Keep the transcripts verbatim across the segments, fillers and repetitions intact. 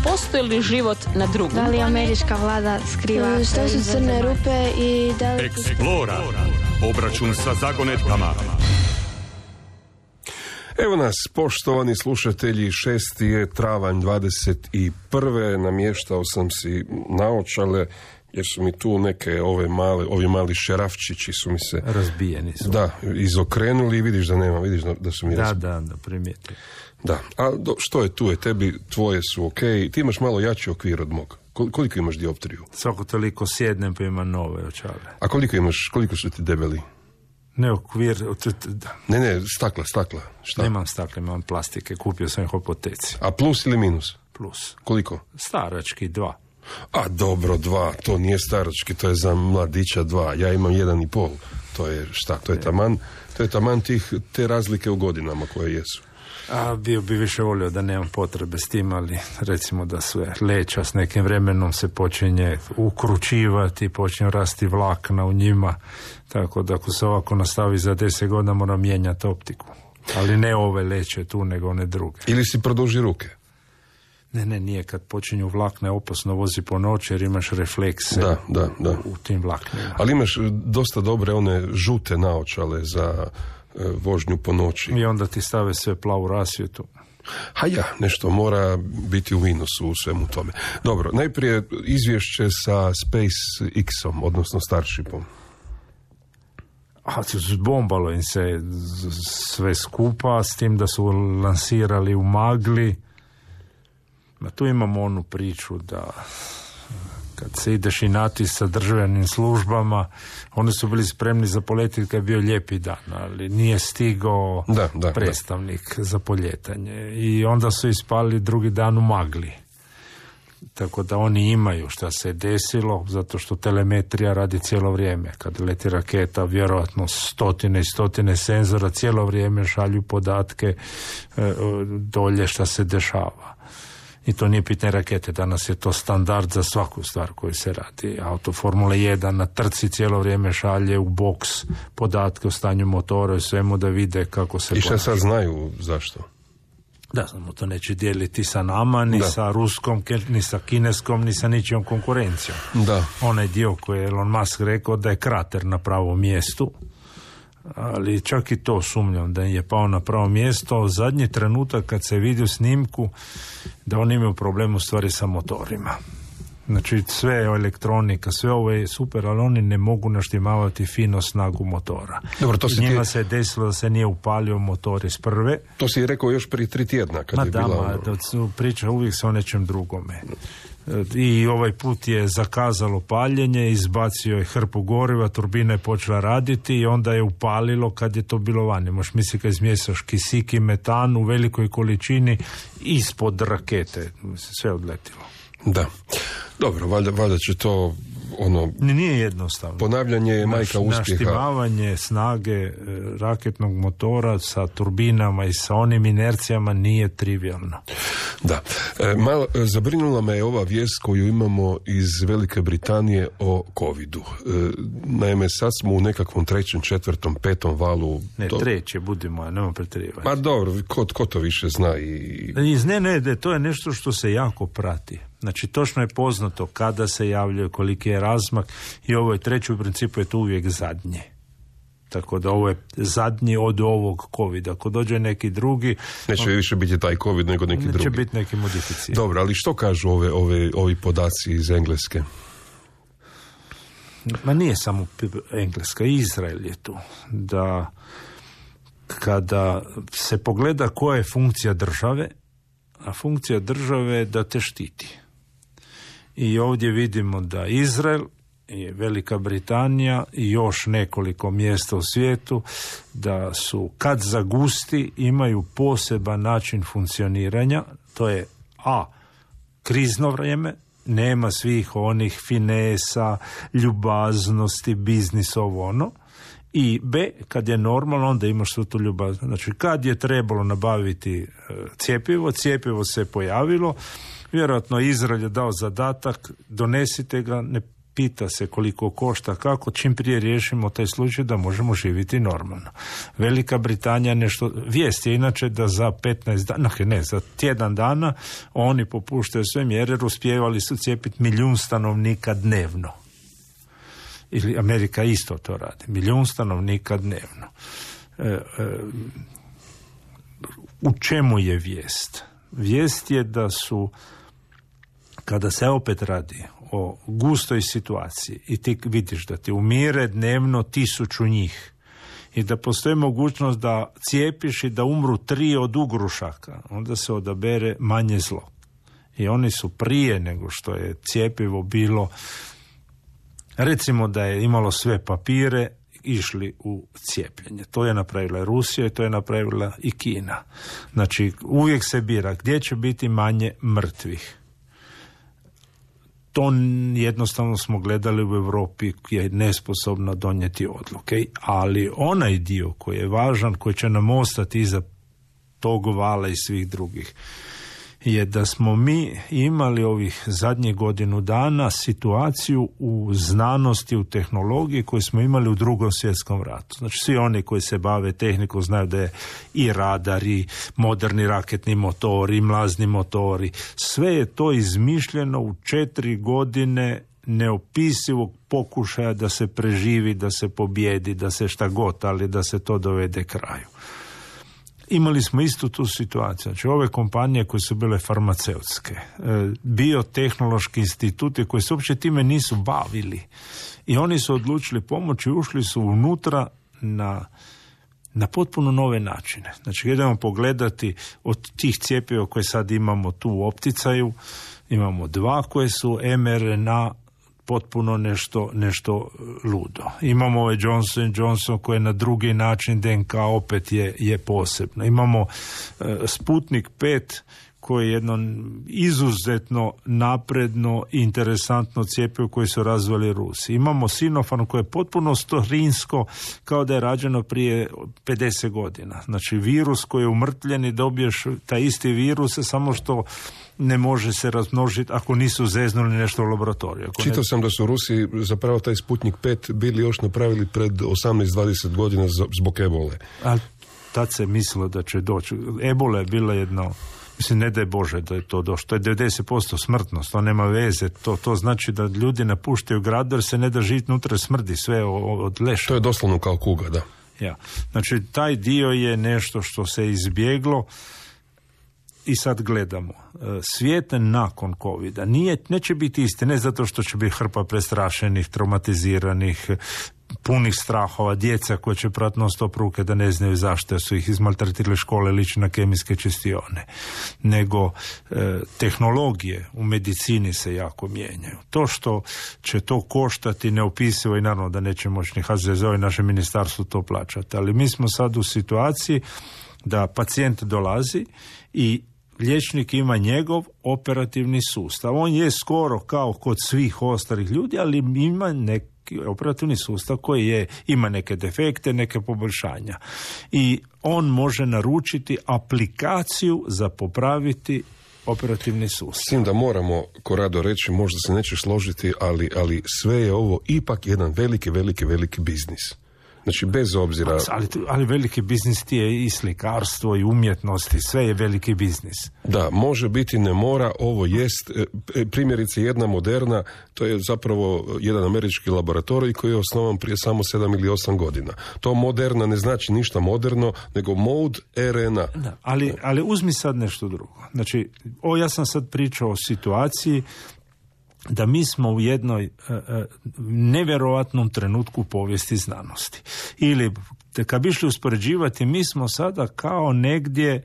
Postoji li život na drugom? Da li američka vlada skriva? Što su crne rupe i da li... Explora. Obračun sa zagonetkama. Evo nas, poštovani slušatelji, šesti je travanj dvadeset prve. Namještao sam si naočale, jer su mi tu neke ove male, ovi mali šerafčići su mi se... Razbijeni su. Da, izokrenuli i vidiš da nema, vidiš da, da su mi... Da, razbijeni. da, da, primijeti. Da, a do, što je tu je, tebi, tvoje su ok, ti imaš malo jači okvir od mog. Koliko imaš dioptriju? Svako toliko sjednem pa imam nove očale. A koliko imaš, koliko su ti debeli? Ne okvir... Ne, ne, stakla, stakla. Šta? Nemam stakla, imam plastike, kupio sam ih u apoteci. A plus ili minus? Plus. Koliko? Starački, dva. A dobro, dva, to nije starački, to je za mladića dva. Ja imam jedan i pol. To je šta, to je taman, to je taman tih, te razlike u godinama koje jesu. A bio bi više volio da nemam potrebe s tim, ali recimo da sve leća s nekim vremenom se počinje ukručivati, počinje rasti vlakna u njima, tako da ako se ovako nastavi za deset godina moram mijenjati optiku. Ali ne ove leće tu, nego one druge. Ili si produži ruke? Ne, ne, nije. Kad počinju vlakne, opasno vozi po noći jer imaš reflekse da, da, da. U, u tim vlaknima. Ali imaš dosta dobre one žute naočale za e, vožnju po noći. I onda ti stave sve plavu rasvjetu. Ha ja, nešto mora biti u minusu u svemu tome. Dobro, najprije izvješće sa SpaceX-om, odnosno Starshipom. A zbombalo im se sve skupa, s tim da su lansirali u magli. Ma tu imamo onu priču da kad se ideš inati sa državnim službama, oni su bili spremni za poletiti kad je bio lijepi dan, ali nije stigao da, da, predstavnik da. za poljetanje. I onda su ispali drugi dan u magli. Tako da oni imaju šta se je desilo, zato što telemetrija radi cijelo vrijeme. Kad leti raketa, vjerojatno stotine i stotine senzora cijelo vrijeme šalju podatke e, dolje šta se dešava. I to nije pitanje rakete, danas je to standard za svaku stvar koju se radi. Auto Formule jedan na trci cijelo vrijeme šalje u boks podatke o stanju motora i svemu da vide kako se... I šta sad znaju zašto? Da, znamo, to neće dijeliti sa nama, ni da. sa ruskom, ni sa kineskom, ni sa ničijom konkurencijom. Da. Onaj dio koji je Elon Musk rekao da je krater na pravom mjestu, ali čak i to sumnjam da je pao na pravo mjesto. Zadnji trenutak kad se vidi u snimku da oni imaju problem u stvari sa motorima. Znači sve elektronika, sve ovo je super, ali oni ne mogu naštimavati fino snagu motora. Dobro, to se njima ti... se desilo da se nije upalio motor iz prve. To si rekao još prije tri tjedna kad ma je da, bila... Ma da, priča uvijek se o nečem drugome. I ovaj put je zakazalo paljenje, izbacio je hrpu goriva, turbina je počela raditi i onda je upalilo kad je to bilo vani. Možeš misliti kad izmješaš kisik i metan u velikoj količini ispod rakete. Sve odletilo. Da. Dobro, valjda, valjda će to ono... Nije jednostavno. Ponavljanje je majka Naš, uspjeha. Naštimavanje snage e, raketnog motora sa turbinama i sa onim inercijama nije trivialno. Da. E, malo, zabrinula me je ova vijest koju imamo iz Velike Britanije o covidu. E, naime, sad smo u nekakvom trećem, četvrtom, petom valu... Ne, do... treće, budimo, nema pretjerivanja. Pa dobro, ko, ko to više zna i... Ne, ne, ne, to je nešto što se jako prati. Znači, točno je poznato kada se javljaju, koliki je razmak i ovo je treći, u principu je to uvijek zadnje. Tako da ovo je zadnji od ovog covida. Ako dođe neki drugi... Neće on, više biti taj covid nego neki neće drugi. Neće biti neki modificirani. Dobro, ali što kažu ove, ove, ovi podaci iz Engleske? Ma nije samo Engleska, Izrael je tu. Da kada se pogleda koja je funkcija države, a funkcija države je da te štiti. I ovdje vidimo da Izrael i Velika Britanija i još nekoliko mjesta u svijetu da su kad zagusti imaju poseban način funkcioniranja, to je a. krizno vrijeme, nema svih onih finesa, ljubaznosti, biznis, ovo ono, i b. kad je normalno, onda imaš svu tu ljubaznost. Znači, kad je trebalo nabaviti cjepivo, cjepivo se pojavilo, vjerojatno Izrael je dao zadatak, donesite ga, ne pita se koliko košta, kako, čim prije riješimo taj slučaj da možemo živjeti normalno. Velika Britanija nešto, vijest je inače da za petnaest dana, ne, za tjedan dana oni popuštaju sve mjere, jer uspijevali su cijepiti milijun stanovnika dnevno. Ili Amerika isto to radi, milijun stanovnika dnevno. E, e, u čemu je vijest? Vijest je da su, kada se opet radi o gustoj situaciji i ti vidiš da ti umire dnevno tisuću njih i da postoji mogućnost da cijepiš i da umru tri od ugrušaka, onda se odabere manje zlo. I oni su prije nego što je cjepivo bilo, recimo da je imalo sve papire, išli u cijepljenje. To je napravila Rusija i to je napravila i Kina. Znači, uvijek se bira gdje će biti manje mrtvih. To jednostavno smo gledali u Europi, je nesposobna donijeti odluke. Ali onaj dio koji je važan, koji će nam ostati iza tog vala i svih drugih, je da smo mi imali ovih zadnjih godinu dana situaciju u znanosti, u tehnologiji koju smo imali u Drugom svjetskom ratu. Znači svi oni koji se bave tehnikom znaju da je i radar, i moderni raketni motori, i mlazni motori. Sve je to izmišljeno u četiri godine neopisivog pokušaja da se preživi, da se pobjedi, da se šta god, ali da se to dovede kraju. Imali smo istu tu situaciju. Znači, ove kompanije koje su bile farmaceutske, biotehnološki instituti koji se uopće time nisu bavili i oni su odlučili pomoći i ušli su unutra na, na potpuno nove načine. Znači, idemo pogledati od tih cjepiva koje sad imamo tu u opticaju, imamo dva koje su em er en a, potpuno nešto, nešto ludo. Imamo ovaj Johnson and Johnson koji je na drugi način de en ka, opet je, je posebno. Imamo uh, Sputnik pet koji je jedno izuzetno napredno i interesantno cjepivo koje su razvili Rusi. Imamo Sinopharm koje je potpuno starinsko, kao da je rađeno prije pedeset godina. Znači virus koji je umrtljen i dobiješ taj isti virus, samo što ne može se razmnožiti ako nisu zeznuli nešto u laboratoriju. Ako Čitao ne... sam da su Rusi zapravo taj Sputnik pet bili još napravili pred osamnaest dvadeset godina zbog ebole. A tad se mislilo da će doći. Ebola je bila jedno, mislim, ne daj Bože da je to došlo. To je devedeset posto smrtnost, to nema veze. To, to znači da ljudi napuštaju grad jer se ne da živjeti unutra, smrdi sve od leša. To je doslovno kao kuga, da. Ja. Znači, taj dio je nešto što se izbjeglo. I sad gledamo, svijet nakon covida nije, neće biti isti, ne zato što će biti hrpa prestrašenih, traumatiziranih, punih strahova, djeca koja će prati non stop ruke da ne znaju zašto su ih izmaltretirali škole, liči na kemijske čistione, nego e, tehnologije u medicini se jako mijenjaju. To što će to koštati neopisivo i naravno da neće moći ni ha ze ze o i naše ministarstvo to plaćati, ali mi smo sad u situaciji da pacijent dolazi i liječnik ima njegov operativni sustav. On je skoro kao kod svih ostalih ljudi, ali ima neki operativni sustav koji je, ima neke defekte, neke poboljšanja. I on može naručiti aplikaciju za popraviti operativni sustav. Mislim da moramo, Korado, reći, možda se neće složiti, ali, ali sve je ovo ipak jedan veliki, veliki, veliki biznis. Znači, bez obzira... Ali, ali veliki biznis ti je i slikarstvo i umjetnost i sve je veliki biznis. Da, može biti, ne mora, ovo jest. Primjerice, jedna Moderna, to je zapravo jedan američki laboratorij koji je osnovan prije samo sedam ili osam godina. To Moderna ne znači ništa moderno, nego Mode er en a. Da, ali, ali uzmi sad nešto drugo. Znači, o, ja sam sad pričao o situaciji da mi smo u jednoj uh, nevjerojatnom trenutku povijesti znanosti. Ili, kad bi išli uspoređivati, mi smo sada kao negdje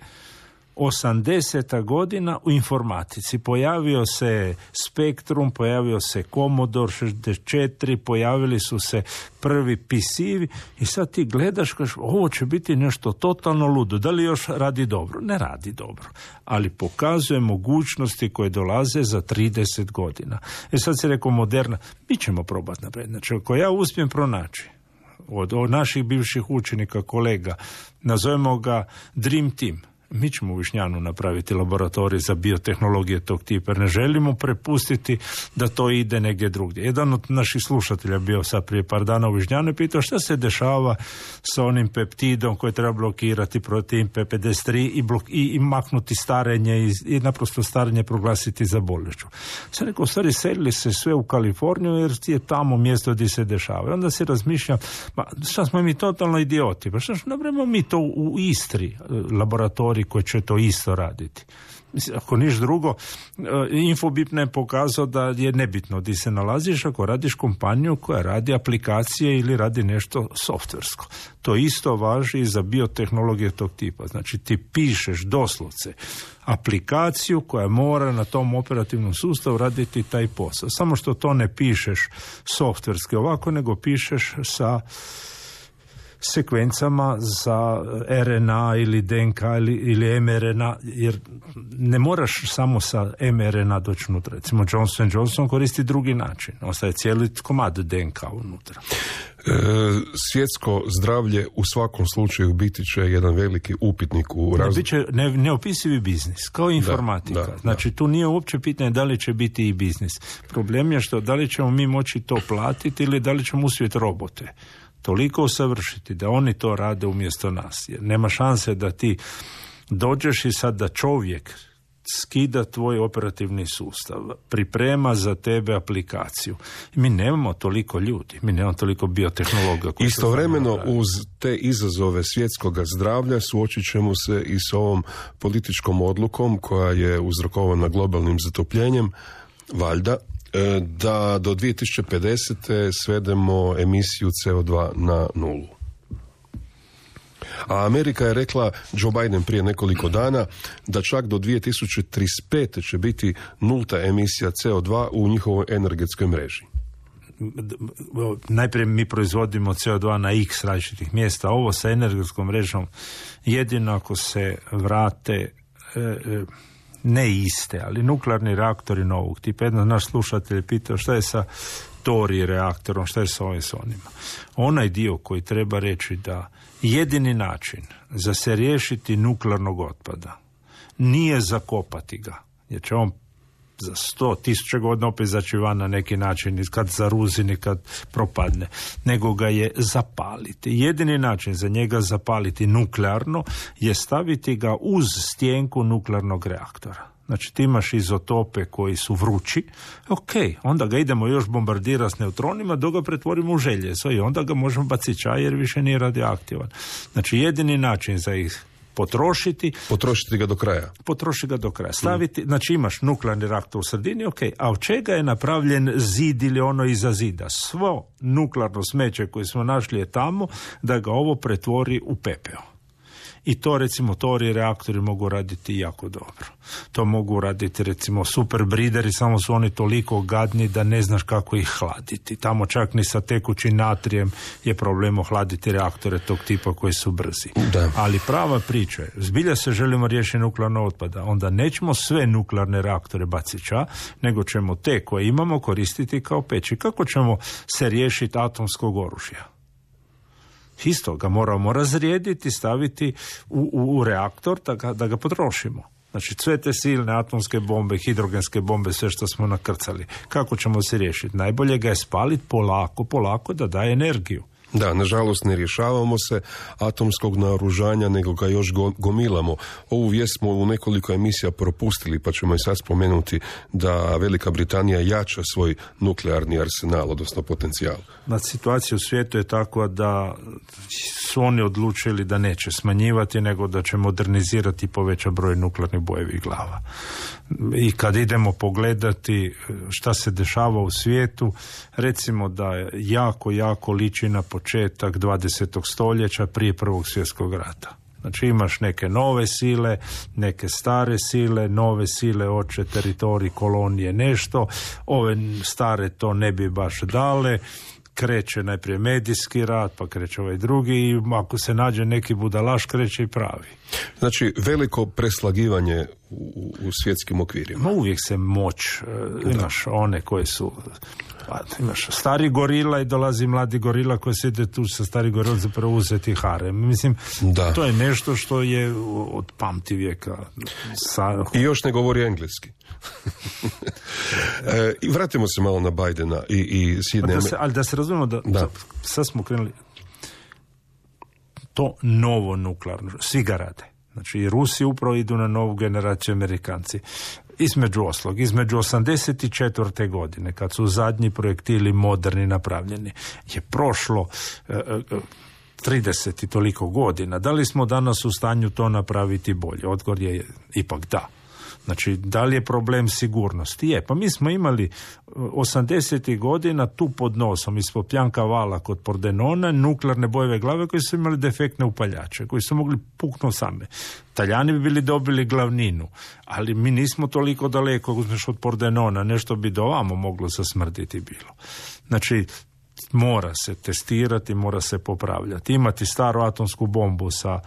osamdeseta godina u informatici. Pojavio se Spektrum, pojavio se Commodore šezdeset četiri, pojavili su se prvi P C-vi i sad ti gledaš, kažeš, ovo će biti nešto totalno ludo. Da li još radi dobro? Ne radi dobro. Ali pokazuje mogućnosti koje dolaze za trideset godina. E sad se rekao Moderna, mi ćemo probati naprijed. Znači, ako ja uspijem pronaći od, od naših bivših učenika, kolega, nazovemo ga Dream Team, Mi ćemo u Višnjanu napraviti laboratorij za biotehnologije tog tipa, jer ne želimo prepustiti da to ide negdje drugdje. Jedan od naših slušatelja bio sad prije par dana u Višnjanu i pitao šta se dešava sa onim peptidom koji treba blokirati protein P pedeset tri i, blok, i, i maknuti starenje i, i naprosto starenje proglasiti za bolešću. Sad rekao, u stvari selili se sve u Kaliforniju jer je tamo mjesto gdje se dešava. I onda se razmišlja, pa šta smo mi totalno idioti, pa šta napravimo mi to u Istri, laboratorij koji će to isto raditi. Ako niš drugo, Infobip je pokazao da je nebitno gdje se nalaziš ako radiš kompaniju koja radi aplikacije ili radi nešto softversko. To isto važi i za biotehnologije tog tipa. Znači ti pišeš doslovce aplikaciju koja mora na tom operativnom sustavu raditi taj posao. Samo što to ne pišeš softverski ovako, nego pišeš sa sekvencama za R N A ili D N K ili, ili M R N A, jer ne moraš samo sa M R N A doći unutra. Recimo Johnson and Johnson koristi drugi način. Ostaje cijeli komad D N K unutra. E, svjetsko zdravlje u svakom slučaju biti će jedan veliki upitnik u razvoju. Biće ne, neopisivi biznis, kao informatika. Da, da, znači da. Tu nije uopće pitanje da li će biti i biznis. Problem je što da li ćemo mi moći to platiti ili da li ćemo uspjeti robote toliko usavršiti da oni to rade umjesto nas. Jer nema šanse da ti dođeš i sad da čovjek skida tvoj operativni sustav, priprema za tebe aplikaciju. I mi nemamo toliko ljudi, mi nemamo toliko biotehnologa. Istovremeno uz te izazove svjetskog zdravlja suočit ćemo se i s ovom političkom odlukom koja je uzrokovana globalnim zatopljenjem, valjda, da do dvije tisuće pedesete svedemo emisiju C O dva na nulu. A Amerika je rekla, Joe Biden prije nekoliko dana, da čak do dvije tisuće trideset pete će biti nulta emisija C O dva u njihovoj energetskoj mreži. Najprije mi proizvodimo C O dva na x različitih mjesta. Ovo sa energetskom mrežom jedino ako se vrate e, e, ne iste, ali nuklearni reaktori novog tipa. Jedan naš slušatelj je pitao šta je sa Tori reaktorom, šta je sa ovim s onima. Onaj dio koji treba reći da jedini način za se riješiti nuklearnog otpada nije zakopati ga, jer će on za sto tisuća godina opet zaći van na neki način, kad zaruzini, kad propadne, nego ga je zapaliti. Jedini način za njega zapaliti nuklearno je staviti ga uz stjenku nuklearnog reaktora. Znači ti imaš izotope koji su vrući, ok, onda ga idemo još bombardirati s neutronima dok ga pretvorimo u željezo i onda ga možemo baciti čaj jer više nije radioaktivan. Znači jedini način za ih potrošiti. Potrošiti ga do kraja. Potrošiti ga do kraja. Staviti, mm. znači imaš nuklearni reaktor u sredini, ok, a od čega je napravljen zid ili ono iza zida? Svo nuklearno smeće koje smo našli je tamo da ga ovo pretvori u pepeo. I to recimo tori reaktori mogu raditi jako dobro. To mogu raditi recimo super brideri, samo su oni toliko gadni da ne znaš kako ih hladiti. Tamo čak ni sa tekućim natrijem je problem ohladiti reaktore tog tipa koji su brzi. Da. Ali prava priča je, zbilja se želimo riješiti nuklearnog otpada, onda nećemo sve nuklearne reaktore baciti ča, nego ćemo te koje imamo koristiti kao peći. Kako ćemo se riješiti atomskog oružja? Isto ga moramo razrijediti, staviti u, u, u reaktor da ga, da ga potrošimo. Znači sve te silne atomske bombe, hidrogenske bombe, sve što smo nakrcali. Kako ćemo se riješiti? Najbolje ga je spaliti polako, polako da daje energiju. Da, nažalost ne rješavamo se atomskog naoružanja, nego ga još gomilamo. Ovu vijest smo u nekoliko emisija propustili, pa ćemo i sad spomenuti da Velika Britanija jača svoj nuklearni arsenal, odnosno potencijal. Na situacija u svijetu je takva da su oni odlučili da neće smanjivati, nego da će modernizirati i poveća broj nuklearnih bojevih glava. I kad idemo pogledati šta se dešava u svijetu, recimo da jako, jako liči na početak dvadesetog stoljeća prije Prvog svjetskog rata. Znači imaš neke nove sile, neke stare sile, nove sile hoće teritorij, kolonije, nešto, ove stare to ne bi baš dale, kreće najprije medijski rat, pa kreće ovaj drugi i ako se nađe neki budalaš, kreće i pravi. Znači, veliko preslagivanje u, u svjetskim okvirima. Ma uvijek se moć, uh, imaš da. one koje su, pa, imaš stari gorila i dolazi mladi gorila koji sjede tu sa stari gorila za preuzeti harem. Mislim, da. to je nešto što je od pamti vijeka. Sa... I još ne govori engleski. e, I vratimo se malo na Bidena i, i Sjedinjene pa da se, ali da se razumemo da, da. sad smo krenuli to novo nuklearno, svi ga rade. Znači i Rusi upravo idu na novu generaciju, Amerikanci. Između oslog, između osamdeset četvrte godine, kad su zadnji projektili moderni napravljeni, je prošlo e, e, trideset i toliko godina. Da li smo danas u stanju to napraviti bolje? Odgovor je ipak da. Znači, da li je problem sigurnosti? Je, pa mi smo imali osamdesetih godina tu pod nosom ispod Pjanka vala kod Pordenona nuklearne bojeve glave koji su imali defektne upaljače, koji su mogli puknuti same. Talijani bi bili dobili glavninu, ali mi nismo toliko daleko, uzmeš od Pordenona, nešto bi do ovamo moglo zasmrditi bilo. Znači, mora se testirati, mora se popravljati. Imati staru atomsku bombu sa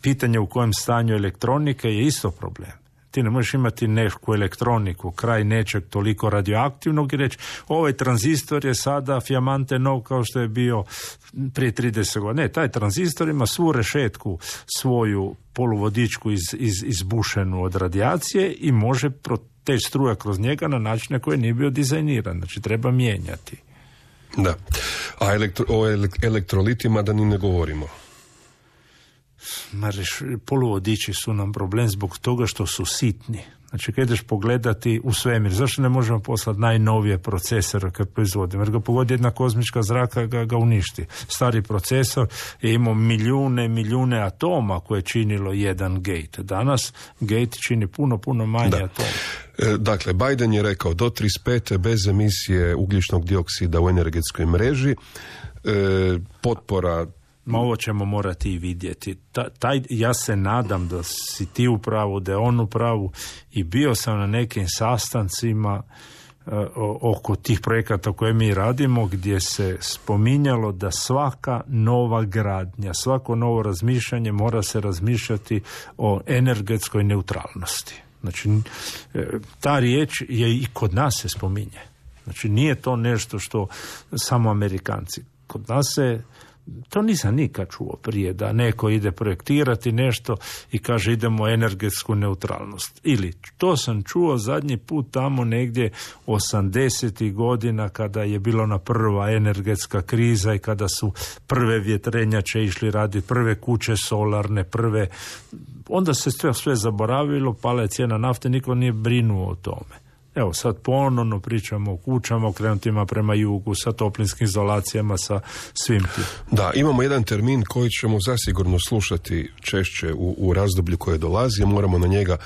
pitanje u kojem stanju elektronike je isto problem. Ti ne možeš imati neku elektroniku, kraj nečeg toliko radioaktivnog i reći ovaj tranzistor je sada fijamante nov kao što je bio prije trideset godina. Ne, taj tranzistor ima svu rešetku, svoju poluvodičku iz, iz, izbušenu od radijacije i može proteći struja kroz njega na način na koji nije bio dizajniran. Znači treba mijenjati. Da. A elektro, o elektrolitima da ni ne govorimo. Poluvodiči su nam problem zbog toga što su sitni. Znači, kad ideš pogledati u svemir, zašto ne možemo poslati najnovije procesore kad proizvodimo? Jer ga pogodi jedna kozmička zraka, ga, ga uništi. Stari procesor je imao milijune, milijune atoma koje je činilo jedan gate. Danas gate čini puno, puno manje da. atoma. E, dakle, Biden je rekao do trideset pete bez emisije ugljičnog dioksida u energetskoj mreži, e, potpora. Ma ovo ćemo morati i vidjeti. Ta, taj, ja se nadam da si ti u pravu, da je on u pravu i bio sam na nekim sastancima uh, oko tih projekata koje mi radimo gdje se spominjalo da svaka nova gradnja, svako novo razmišljanje mora se razmišljati o energetskoj neutralnosti. Znači, ta riječ je i kod nas se spominje. Znači, nije to nešto što samo Amerikanci. Kod nas se to nisam nikad čuo prije, da neko ide projektirati nešto i kaže idemo energetsku neutralnost. Ili to sam čuo zadnji put tamo negdje osamdesetih godina kada je bila ona prva energetska kriza i kada su prve vjetrenjače išli raditi, prve kuće solarne, prve... Onda se sve, sve zaboravilo, pala je cijena nafte, niko nije brinuo o tome. Evo, sad ponovno pričamo o kućama okrenutima prema jugu, sa toplinskim izolacijama, sa svim tim. Da, imamo jedan termin koji ćemo zasigurno slušati češće u, u razdoblju koje dolazi, moramo na njega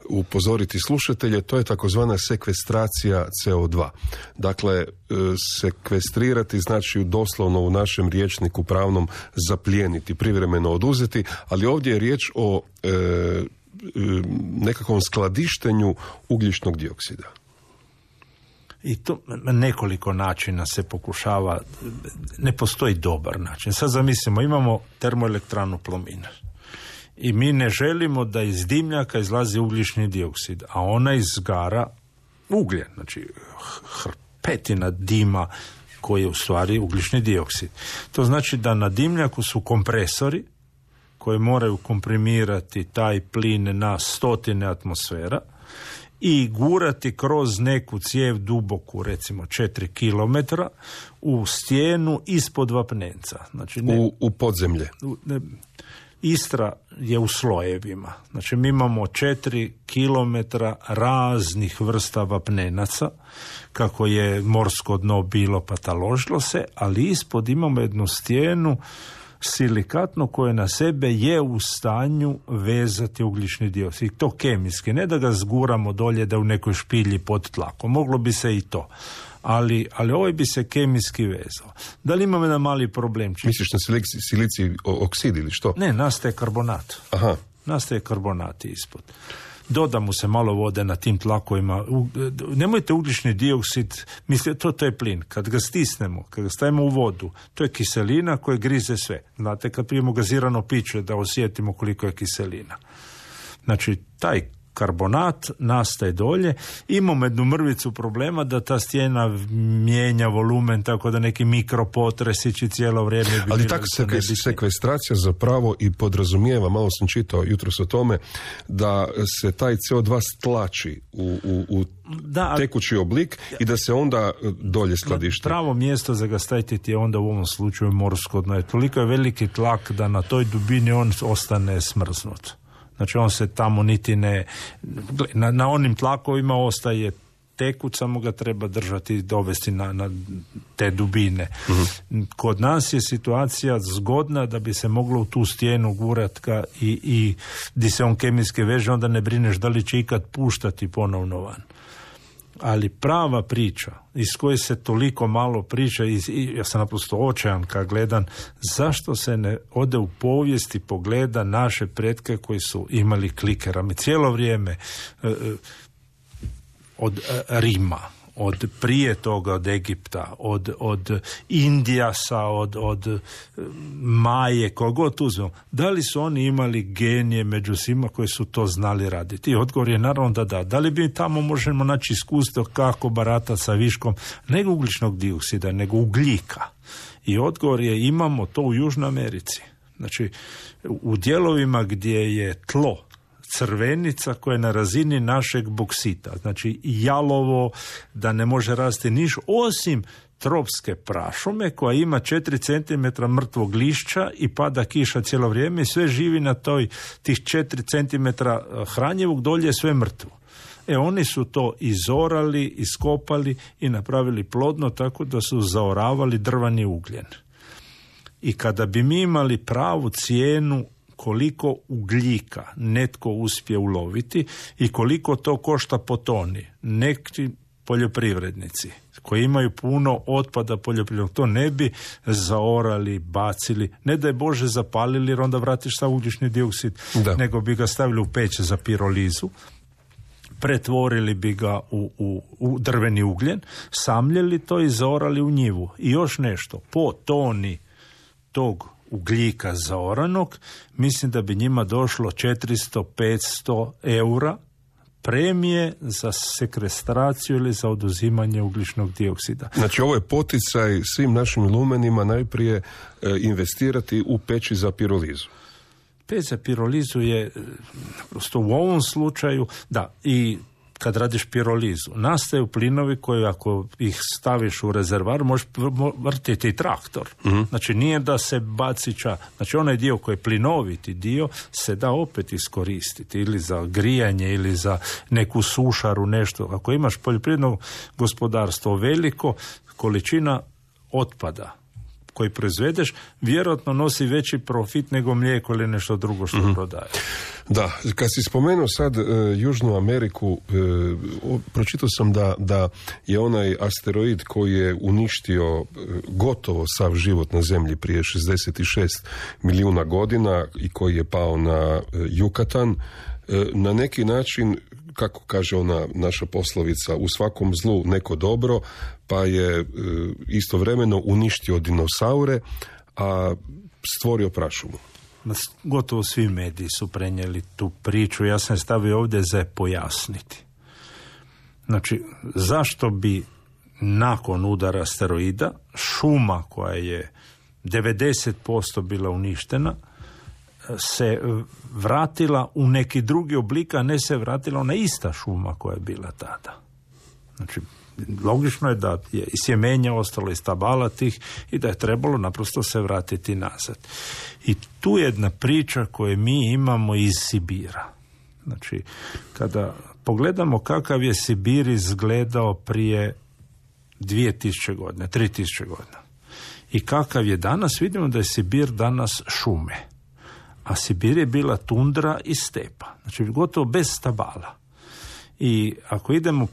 upozoriti slušatelje, to je takozvana sekvestracija C O dva. Dakle, sekvestrirati znači doslovno u našem rječniku pravnom zaplijeniti, privremeno oduzeti, ali ovdje je riječ o e, nekakvom skladištenju ugljičnog dioksida. I to na nekoliko načina se pokušava, ne postoji dobar način. Sad zamislimo, imamo termoelektranu Plomin i mi ne želimo da iz dimljaka izlazi ugljični dioksid, a ona izgara ugljen, znači hrpetina dima koji je u stvari ugljični dioksid. To znači da na dimljaku su kompresori koje moraju komprimirati taj plin na stotine atmosfera i gurati kroz neku cijev duboku, recimo četiri kilometra, u stijenu ispod vapnenca. Znači ne, u, u podzemlje. U, ne, Istra je u slojevima. Znači mi imamo četiri kilometra raznih vrsta vapnenaca, kako je morsko dno bilo pa taložilo se, ali ispod imamo jednu stijenu silikatno koje na sebe je u stanju vezati ugljični dioksid. To kemijski, ne da ga zguramo dolje da u nekoj špilji pod tlakom. Moglo bi se i to. Ali, ali ovaj bi se kemijski vezao. Da li imamo jedan mali problem? Misliš na silici, silici oksid ili što? Ne, nastaje karbonat. Aha. Nastaje karbonati ispod. Doda mu se malo vode na tim tlakovima. Nemojte ugljični dioksid, mislite, to, to je plin. Kad ga stisnemo, kad ga stavimo u vodu, to je kiselina koja grize sve. Znate, kad pijemo gazirano piće da osjetimo koliko je kiselina. Znači, taj karbonat, nastaje dolje. Imamo jednu mrvicu problema da ta stijena mijenja volumen, tako da neki mikropotresići cijelo vrijeme bi ali bili tako da se sekvestracija zapravo i podrazumijeva, malo sam čitao jutros o tome, da se taj C O dva stlači u, u, u da, tekući oblik i da se onda dolje skladišti. Pravo mjesto za ga staviti je onda u ovom slučaju morsko dno. Toliko je veliki tlak da na toj dubini on ostane smrznut. Znači on se tamo niti ne... Na, na onim tlakovima ostaje tekuć, samo ga treba držati i dovesti na, na te dubine. Uh-huh. Kod nas je situacija zgodna da bi se moglo u tu stijenu gurat ga i, i di se on kemijske veže, onda ne brineš da li će ikad puštati ponovno van. Ali prava priča, iz koje se toliko malo priča, i, i ja sam naprosto očajan kad gledam, zašto se ne ode u povijesti pogleda naše pretke koji su imali klikera. Mi cijelo vrijeme e, od Rima, od prije toga od Egipta, od, od Indijasa, od, od Maje, kogod uzmemo. Da li su oni imali genije među svima koji su to znali raditi? I odgovor je naravno da da. Da li bi tamo možemo naći iskustvo kako barata sa viškom nego ugljičnog dioksida, nego ugljika? I odgovor je imamo to u Južnoj Americi. Znači, u dijelovima gdje je tlo crvenica koja je na razini našeg boksita, znači jalovo, da ne može rasti niš, osim tropske prašume koja ima četiri centimetra mrtvog lišća i pada kiša cijelo vrijeme i sve živi na toj tih četiri centimetra hranjivog, dolje je sve mrtvo. E oni su to izorali, iskopali i napravili plodno tako da su zaoravali drvani ugljen. I kada bi mi imali pravu cijenu koliko ugljika netko uspije uloviti i koliko to košta po toni, neki poljoprivrednici koji imaju puno otpada poljoprivrednog, to ne bi zaorali, bacili, ne da je Bože zapalili jer onda vratiš sa ugljični dioksid, da. Nego bi ga stavili u peć za pirolizu, pretvorili bi ga u, u, u drveni ugljen, samljeli to i zaorali u njivu. I još nešto, po toni tog ugljika zaoranog, mislim da bi njima došlo četiristo do petsto eura premije za sekvestraciju ili za oduzimanje ugljičnog dioksida. Znači ovo je poticaj svim našim lumenima najprije e, investirati u peći za pirolizu. Peć za pirolizu je prosto u ovom slučaju, da, i kad radiš pirolizu, nastaju plinovi koji ako ih staviš u rezervar možeš vrtiti i traktor. Mm-hmm. Znači nije da se bacića, znači onaj dio koji je plinoviti dio se da opet iskoristiti ili za grijanje ili za neku sušaru, nešto. Ako imaš poljoprivredno gospodarstvo veliko, količina otpada koji proizvedeš vjerojatno nosi veći profit nego mlijeko ili nešto drugo što mm-hmm. prodaje. Da, kad si spomenuo sad e, Južnu Ameriku, e, o, pročitao sam da, da je onaj asteroid koji je uništio e, gotovo sav život na zemlji prije šezdeset šest milijuna godina i koji je pao na e, Jukatan, e, na neki način, kako kaže ona naša poslovica, u svakom zlu neko dobro, pa je e, istovremeno uništio dinosaure, a stvorio prašumu. Gotovo svi mediji su prenijeli tu priču. Ja sam stavio ovdje za pojasniti. Znači, zašto bi nakon udara asteroida šuma koja je devedeset posto bila uništena se vratila u neki drugi oblik, a ne se vratila ona ista šuma koja je bila tada. Znači, logično je da je i sjemenja ostalo iz stabala tih i da je trebalo naprosto se vratiti nazad. I tu je jedna priča koju mi imamo iz Sibira. Znači, kada pogledamo kakav je Sibir izgledao prije dvije tisuće godina, tri tisuće godina i kakav je danas, vidimo da je Sibir danas šume. A Sibir je bila tundra i stepa. Znači, gotovo bez stabala. I ako idemo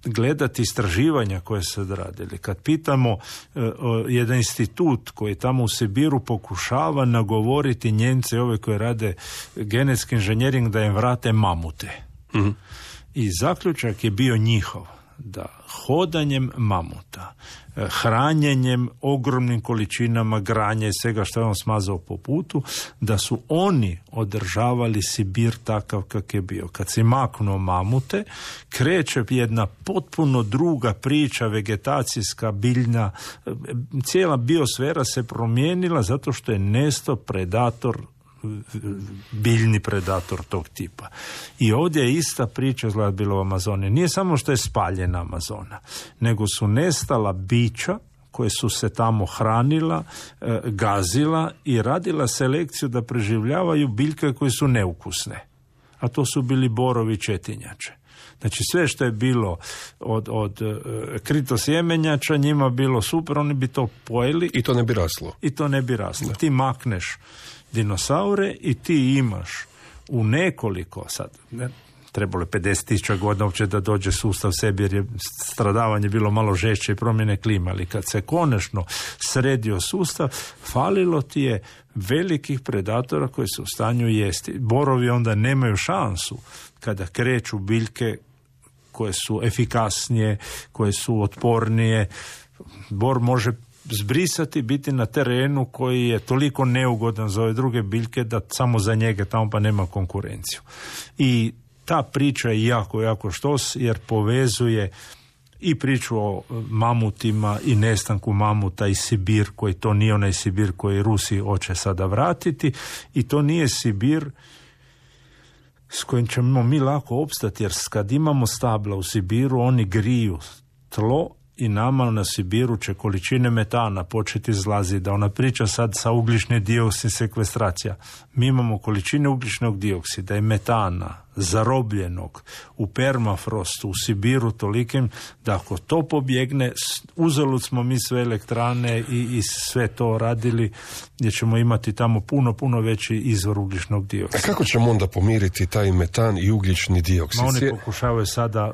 gledati istraživanja koje se radili, kad pitamo uh, jedan institut koji tamo u Sibiru pokušava nagovoriti Njemce, ove koje rade genetski inženjering, da im vrate mamute. Mm-hmm. I zaključak je bio njihov. da hodanjem mamuta, hranjenjem ogromnim količinama granja i svega što je on smazao po putu, da su oni održavali Sibir takav kak je bio. Kad si maknuo mamute, kreće jedna potpuno druga priča, vegetacijska, biljna, cijela biosfera se promijenila zato što je nesto predator, biljni predator tog tipa. I ovdje je ista priča izgleda bila u Amazoni. Nije samo što je spaljena Amazona, nego su nestala bića koje su se tamo hranila, e, gazila i radila selekciju da preživljavaju biljke koje su neukusne. A to su bili borovi četinjače. Znači sve što je bilo od, od e, kritosjemenjača njima bilo super, oni bi to pojeli. I to ne bi raslo. I to ne bi raslo. Da. Ti makneš dinosaure i ti imaš u nekoliko, sad ne, trebalo je pedeset tisuća godina uopće da dođe sustav sebi jer je stradavanje bilo malo žešće i promjene klima, ali kad se konačno sredio sustav, falilo ti je velikih predatora koji su u stanju jesti. Borovi onda nemaju šansu kada kreću biljke koje su efikasnije, koje su otpornije. Bor može zbrisati, biti na terenu koji je toliko neugodan za ove druge biljke da samo za njega tamo pa nema konkurenciju. I ta priča je jako, jako štos jer povezuje i priču o mamutima i nestanku mamuta i Sibir, koji to nije onaj Sibir koji Rusi hoće sada vratiti i to nije Sibir s kojim ćemo mi lako opstati, jer kad imamo stabla u Sibiru, oni griju tlo i nama na Sibiru će količine metana početi izlaziti, da ona priča sad sa ugljični dioksid sekvestracija. Mi imamo količine ugljičnog dioksida i metana zarobljenog u permafrostu u Sibiru tolikim da ako to pobjegne, uzalud smo mi sve elektrane i, i sve to radili, gdje ćemo imati tamo puno, puno veći izvor ugljičnog dioksida. A kako ćemo onda pomiriti taj metan i ugljični dioksid? Ma oni pokušavaju sada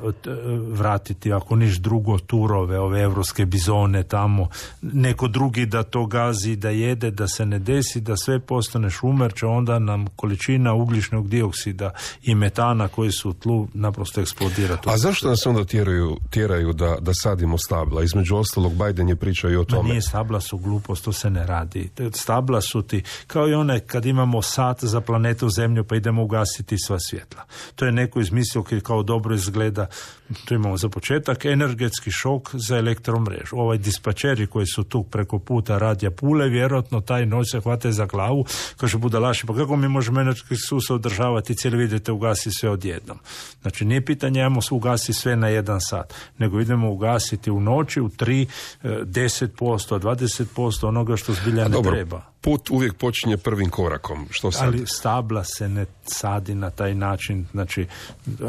vratiti, ako niš drugo, turove, ove evropske bizone tamo, neko drugi da to gazi, da jede, da se ne desi, da sve postane šumer, će onda nam količina ugljičnog dioksida i metana koji su u tlu naprosto eksplodirati. A zašto nas onda tjeraju, tjeraju da, da sadimo stabla? Između ostalog, Biden je pričao i o tome. Ma nije, stabla su glupost, to se ne radi. Stabla su ti, kao i one kad imamo sat za planetu Zemlju pa idemo ugasiti sva svjetla. To je neko izmislio kao dobro izgleda. Tu imamo za početak energetski šok za elektromrežu. Ovaj dispačeri koji su tu preko puta radija Pule, vjerojatno taj noć se hvate za glavu, kaže budalaši, pa kako mi možemo energetski sustav održavati, cijeli vidite ugasi sve odjednom. Znači nije pitanje ajmo ugasi sve na jedan sat, nego idemo ugasiti u noći u tri, deset posto, dvadeset posto onoga što zbilja ne Dobro, treba. Put uvijek počinje prvim korakom. Što sad? Ali stabla se ne sadi na taj način. Znači,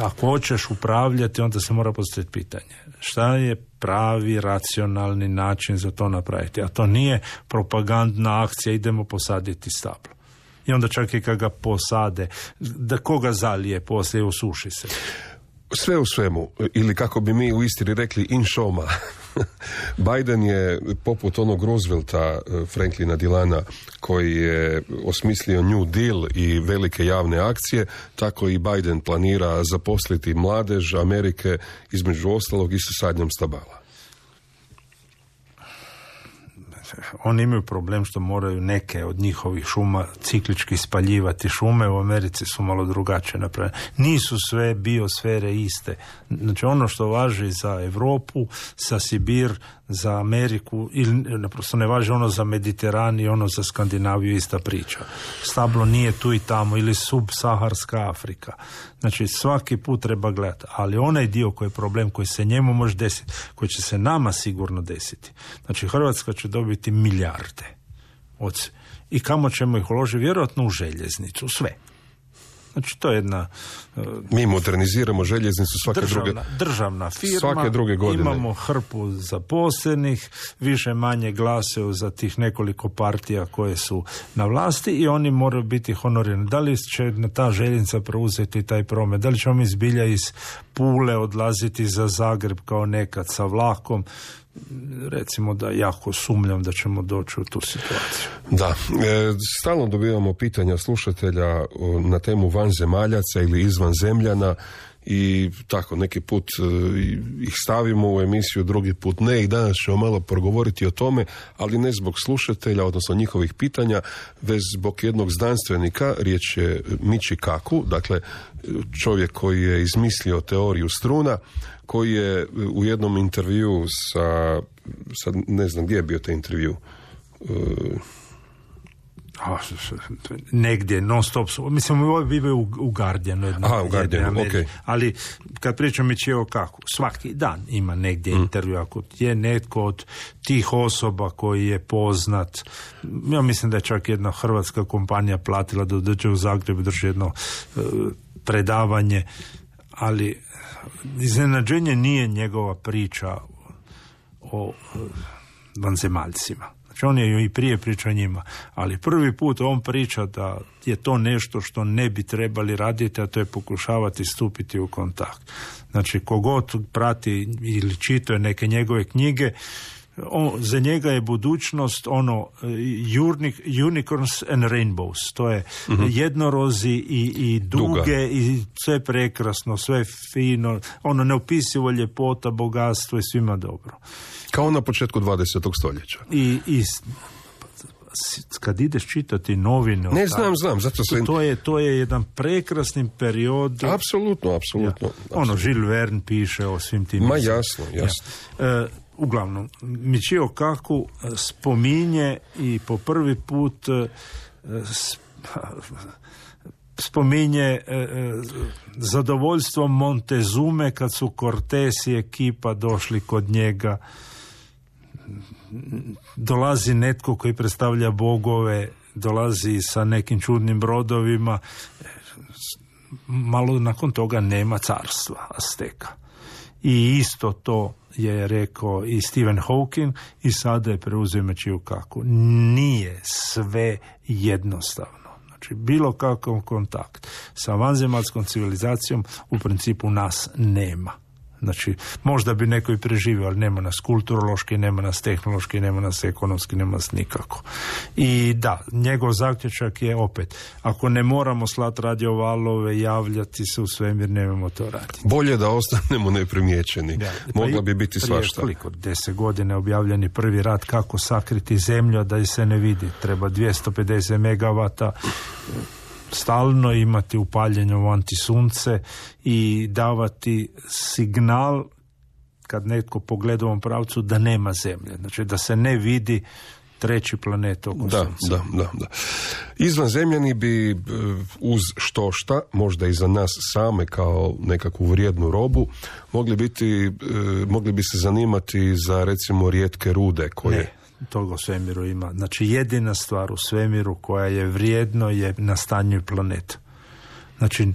ako hoćeš upravljati, onda se mora postaviti pitanje. Šta je pravi, racionalni način za to napraviti? A to nije propagandna akcija, idemo posaditi stablo. I onda čak i kad ga posade, da koga zalije poslije, usuši se. Sve u svemu, ili kako bi mi u Istri rekli, in šoma. Biden je poput onog Roosevelta, Franklina Delana, koji je osmislio New Deal i velike javne akcije, tako i Biden planira zaposliti mladež Amerike, između ostalog i sa sadnjom stabala. Oni imaju problem što moraju neke od njihovih šuma ciklički spaljivati. Šume u Americi su malo drugačije napravljene. Nisu sve biosfere iste. Znači ono što važi za Europu, sa Sibir, za Ameriku, ili naprosto ne važi ono za Mediteran i ono za Skandinaviju, ista priča. Stablo nije tu i tamo, ili subsaharska Afrika. Znači svaki put treba gledati, ali onaj dio koji je problem, koji se njemu može desiti, koji će se nama sigurno desiti. Znači Hrvatska će dobiti milijarde. Od, i kamo ćemo ih uložiti? Vjerojatno u željeznicu, sve. Znači to je jedna... Uh, Mi moderniziramo željeznicu svake državna, druge... Državna firma, svake druge godine. Imamo hrpu zaposlenih, više manje glasaju za tih nekoliko partija koje su na vlasti i oni moraju biti honorirani. Da li će ta željeznica preuzeti taj promet? Da li ćemo mi zbilja iz Pule odlaziti za Zagreb kao nekad sa vlakom? Recimo da jako sumnjam da ćemo doći u tu situaciju. Da, e, stalno dobivamo pitanja slušatelja na temu vanzemaljaca ili izvanzemljana i tako neki put uh, ih stavimo u emisiju, drugi put ne, i danas ćemo malo progovoriti o tome, ali ne zbog slušatelja, odnosno njihovih pitanja, već zbog jednog znanstvenika. Riječ je Michio Kaku, dakle čovjek koji je izmislio teoriju struna, koji je u jednom intervju sa, sad ne znam gdje je bio taj intervju, uh, negdje, non stop, mislim, ovo bive u, u Guardianu, jedno, Aha, u Guardianu, okay. Ali kad pričam Michio Kaku, svaki dan ima negdje mm. intervju, ako je netko od tih osoba koji je poznat, ja mislim da je čak jedna hrvatska kompanija platila da dođe u Zagreb i drži jedno uh, predavanje, ali iznenađenje nije njegova priča o uh, vanzemaljcima. Znači on je i prije pričao njima, ali prvi put on priča da je to nešto što ne bi trebali raditi, a to je pokušavati stupiti u kontakt. Znači kogod prati ili čituje neke njegove knjige, on, za njega je budućnost ono unicorns and rainbows, to je uh-huh. jednorozi i, i duge Duga. I sve prekrasno, sve fino, ono neopisivo ljepota, bogatstvo i svima dobro. Kao na početku dvadesetog stoljeća. I, i kad ideš čitati novine... Ne, znam, znam, zato se... To je, to je jedan prekrasni period... Apsolutno, apsolutno. Ja. Ono, Jules Verne piše o svim tim... Ma jasno, jasno. Ja. E, uglavnom, Michio Kaku spominje i po prvi put spominje e, zadovoljstvo Montezume kad su Cortés i ekipa došli kod njega. Dolazi netko koji predstavlja bogove, dolazi sa nekim čudnim brodovima, malo nakon toga nema carstva Azteka. I isto to je rekao i Stephen Hawking i sada je preuzeo Michio Kaku. Nije sve jednostavno. Znači, bilo kakav kontakt sa vanzemaljskom civilizacijom u principu nas nema. Znači, možda bi neko i preživio, ali nema nas kulturološki, nema nas tehnološki, nema nas ekonomski, nema nas nikako. I da, njegov zaključak je opet, ako ne moramo slati radiovalove, javljati se u svemir, nemamo to raditi. Bolje da ostanemo neprimjećeni. Ja, Mogla pa bi biti svašta. Prije koliko, deset godine objavljeni prvi rat kako sakriti zemlju da se ne vidi. Treba dvjesto pedeset megavata stalno imati upaljenje u antisunce i davati signal kad netko pogleda u ovom pravcu da nema zemlje. Znači da se ne vidi treći planet oko da, sunca. Da, da, da. Izvanzemljani bi uz štošta, možda i za nas same kao nekakvu vrijednu robu, mogli biti, mogli bi se zanimati za recimo rijetke rude koje... Ne. Toga u svemiru ima. Znači jedina stvar u svemiru koja je vrijedno je nastanjuju planetu. Znači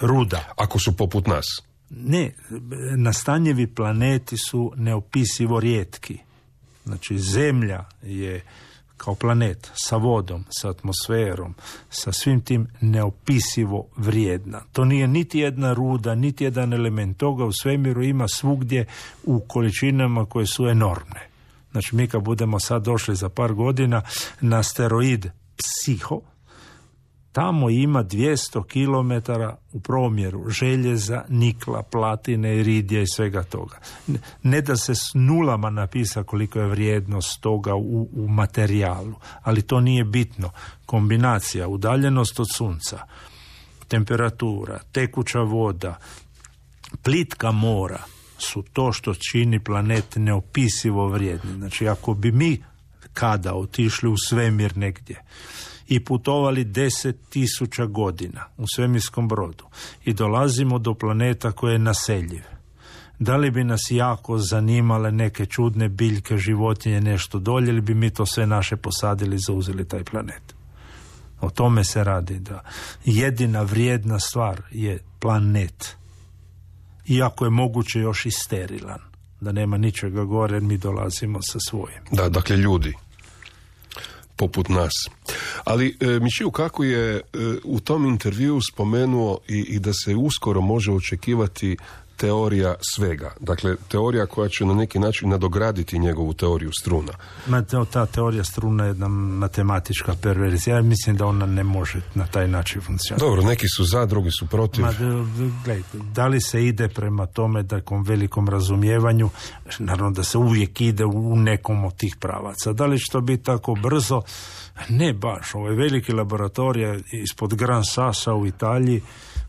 ruda. Ako su poput nas? Ne, nastanjivi planeti su neopisivo rijetki. Znači zemlja je kao planet sa vodom, sa atmosferom, sa svim tim neopisivo vrijedna. To nije niti jedna ruda, niti jedan element. Toga u svemiru ima svugdje u količinama koje su enormne. Znači, mi kad budemo sad došli za par godina na asteroid Psiho, tamo ima dvjesto kilometara u promjeru željeza, nikla, platine, iridija i svega toga. Ne da se s nulama napisa koliko je vrijednost toga u, u materijalu, ali to nije bitno. Kombinacija, udaljenost od sunca, temperatura, tekuća voda, plitka mora, su to što čini planet neopisivo vrijedni. Znači, ako bi mi kada otišli u svemir negdje i putovali deset tisuća godina u svemirskom brodu i dolazimo do planeta koji je naseljiv, da li bi nas jako zanimale neke čudne biljke, životinje, nešto dolje, ili bi mi to sve naše posadili i zauzeli taj planet? O tome se radi, da jedina vrijedna stvar je planet. Iako je moguće još i sterilan, da nema ničega gore, mi dolazimo sa svojim. Da, dakle ljudi, poput nas. Ali e, Michio Kaku je e, u tom intervjuu spomenuo i, i da se uskoro može očekivati teorija svega. Dakle, teorija koja će na neki način nadograditi njegovu teoriju struna. Ma, ta teorija struna je jedna matematička perverzija. Ja mislim da ona ne može na taj način funkcionirati. Dobro, neki su za, drugi su protiv. Ma, gledaj, da li se ide prema tome takom velikom razumijevanju, naravno da se uvijek ide u nekom od tih pravaca. Da li će to biti tako brzo? Ne baš. Ovo je veliki laboratorija ispod Gran Sassa u Italiji,